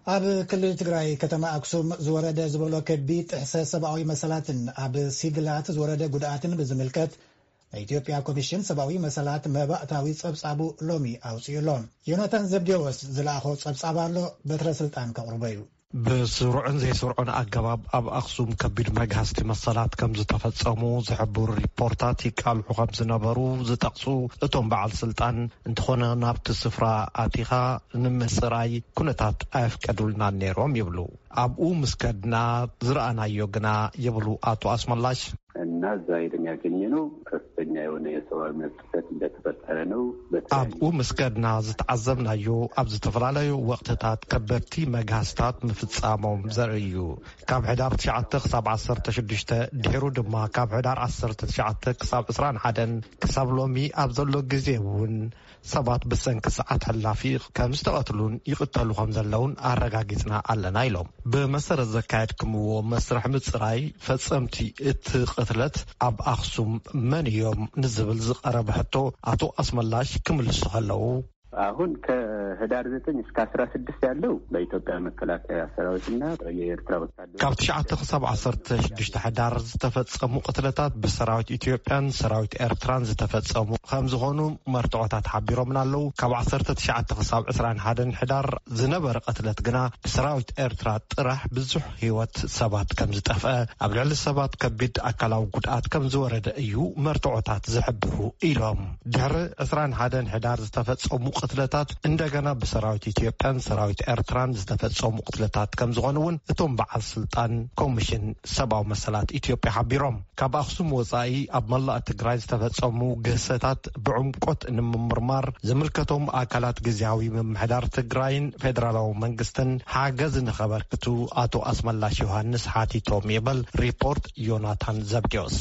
ኣብ ክልል ትግራይ ከተማ ኣክሱም ዝወረደ ዝበሎ ከቢድ ጥሕሰት ሰብኣዊ መሰላትን ኣብ ሲቪላት ዝወረደ ጉድኣትን ብዝምልከት ናይ ኢትዮጵያ ኮሚሽን ሰብኣዊ መሰላት መባእታዊ ጸብጻቡ ሎሚ ኣውጺኡ ኣሎ። ዮናታን ዘብዴዎስ ዝለኣኾ ጸብጻብ ኣሎ፣ በትረ ስልጣን ከቕርቦ እዩ። ብስሩዕን ዘይስሩዕን ኣገባብ ኣብ ኣኽሱም ከቢድ መግሃስቲ መሰላት ከም ዝተፈጸሙ ዝሕብሩ ሪፖርታት ይቃልሑ ከም ዝነበሩ ዝጠቕሱ እቶም በዓል ስልጣን፣ እንተኾነ ናብቲ ስፍራ ኣቲኻ ንምጽራይ ኩነታት ኣየፍቀዱልናን ነይሮም ይብሉ። ኣብኡ ምስ ከድና ዝረኣናዮ ግና ይብሉ ኣቶ ኣስመላሽ። እና እዛ ሄደን ያገኘነው ከፍተኛ የሆነ የሰብአዊ መብት ጥሰት እንደተፈጠረ ነው። በተለያዩ ኣብኡ ምስ ከድና ዝተዓዘብናዮ ኣብ ዝተፈላለዩ ወቕትታት ከበድቲ መግሃስታት ምፍጻሞም ዘርኢ እዩ። ካብ ሕዳር ትሽዓተ ክሳብ ዓሰርተ ሽዱሽተ፣ ድሒሩ ድማ ካብ ሕዳር ዓሰርተ ትሽዓተ ክሳብ ዕስራን ሓደን ክሳብ ሎሚ ኣብ ዘሎ ግዜ እውን ሰባት ብሰንኪ ሰዓት ሕላፊ ከም ዝተቐትሉን ይቕተሉ ከም ዘለውን ኣረጋጊጽና ኣለና ኢሎም። ብመሰረት ዘካየድክምዎ መስርሕ ምጽራይ ፈጸምቲ እቲ ቅትለት ኣብ ኣኽሱም መን እዮም ንዝብል ዝቐረበ ሕቶ ኣቶ ኣስመላሽ ክምልሱ ከለዉ፣ አሁን ከህዳር ዘጠኝ እስከ አስራ ስድስት ያለው በኢትዮጵያ መከላከያ ሰራዊትና የኤርትራ ወታደሮች ካብ ትሽዓተ ክሳብ ዓሰርተ ሽዱሽተ ሕዳር ዝተፈጸሙ ቅትለታት ብሰራዊት ኢትዮጵያን ሰራዊት ኤርትራን ዝተፈጸሙ ከም ዝኾኑ መርትዖታት ሓቢሮምና ኣለዉ። ካብ ዓሰርተ ትሽዓተ ክሳብ ዕስራን ሓደን ሕዳር ዝነበረ ቅትለት ግና ብሰራዊት ኤርትራ ጥራሕ ብዙሕ ህይወት ሰባት ከም ዝጠፍአ፣ ኣብ ልዕሊ ሰባት ከቢድ ኣካላዊ ጉድኣት ከም ዝወረደ እዩ መርትዖታት ዝሕብሩ ኢሎም። ድሕሪ ዕስራን ሓደን ሕዳር ዝተፈጸሙ ቅትለታት እንደገና ብሰራዊት ኢትዮጵያን ሰራዊት ኤርትራን ዝተፈጸሙ ቅትለታት ከም ዝኾኑ እውን እቶም በዓል ስልጣን ኮሚሽን ሰብኣዊ መሰላት ኢትዮጵያ ሓቢሮም። ካብ ኣኽሱም ወጻኢ ኣብ መላእ ትግራይ ዝተፈጸሙ ግህሰታት ብዕምቆት ንምምርማር ዝምልከቶም ኣካላት ግዝያዊ ምምሕዳር ትግራይን ፌደራላዊ መንግስትን ሓገዝ ንኸበርክቱ ኣቶ ኣስመላሽ ዮሃንስ ሓቲቶም ይብል ሪፖርት ዮናታን ዘብዴዎስ።